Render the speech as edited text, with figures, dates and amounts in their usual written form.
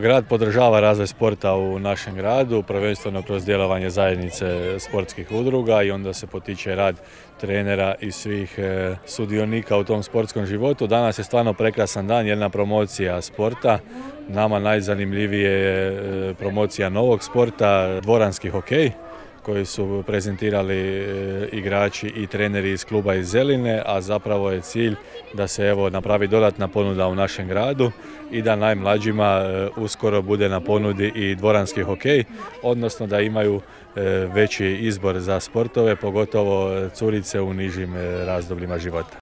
Grad podržava razvoj sporta u našem gradu, prvenstveno kroz djelovanje zajednice sportskih udruga i onda se potiče rad trenera i svih sudionika u tom sportskom životu. Danas je stvarno prekrasan dan, jedna promocija sporta. Nama najzanimljivije je promocija novog sporta, dvoranski hokej, koji su prezentirali igrači i treneri iz kluba iz Zeline, a zapravo je cilj da se napravi dodatna ponuda u našem gradu i da najmlađima uskoro bude na ponudi i dvoranski hokej, odnosno da imaju veći izbor za sportove, pogotovo curice u nižim razdobljima života.